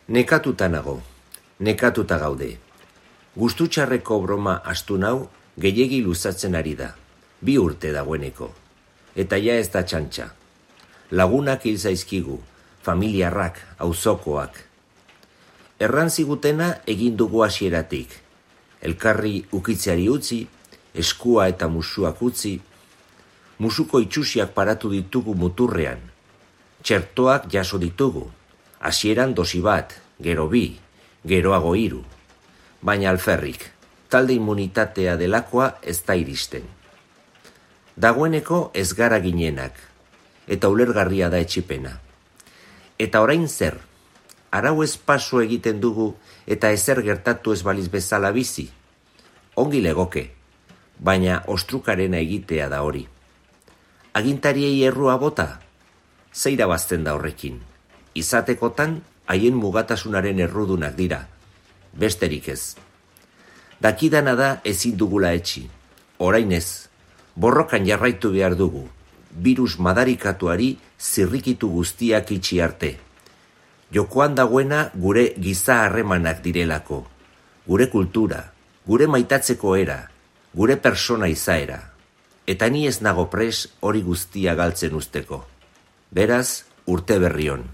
Nekatuta nago, nekatuta gaude. Gustutxarreko broma astu nau gehiegi luzatzen ari da, 2 urte dagoeneko. Eta ja ez da txantxa. Lagunak hil zaizkigu, familiarrak, auzokoak. Erran zigutena egin dugu hasieratik. Elkarri ukitzeari utzi, eskua eta musuak utzi. Musuko itxusiak paratu ditugu muturrean. Txertoak jaso ditugu. Hasieran dosi bat, gero 2, geroago 3. Baina alferrik, talde immunitatea delakoa ez da iristen. Dagoeneko ez gara ginenak, eta ulergarria da etxipena. Eta orain zer, arau ez paso egiten dugu eta ezer gertatu ez baliz bezala bizi. Ongi legoke, baina ostrukarena egitea da hori. Agintariei errua bota, zeira bazten da horrekin. Izatekotan, haien mugatasunaren errudunak dira, besterik ez. Dakidana da ezin dugula etxi, orain ez, borrokan jarraitu behar dugu, virus madarikatuari zirrikitu guztiak itxi arte. Jokoan dagoena gure giza harremanak direlako, gure kultura, gure maitatzeko era, gure persona izaera, eta ni ez nago pres hori guztia galtzen usteko. Beraz, urte berri on.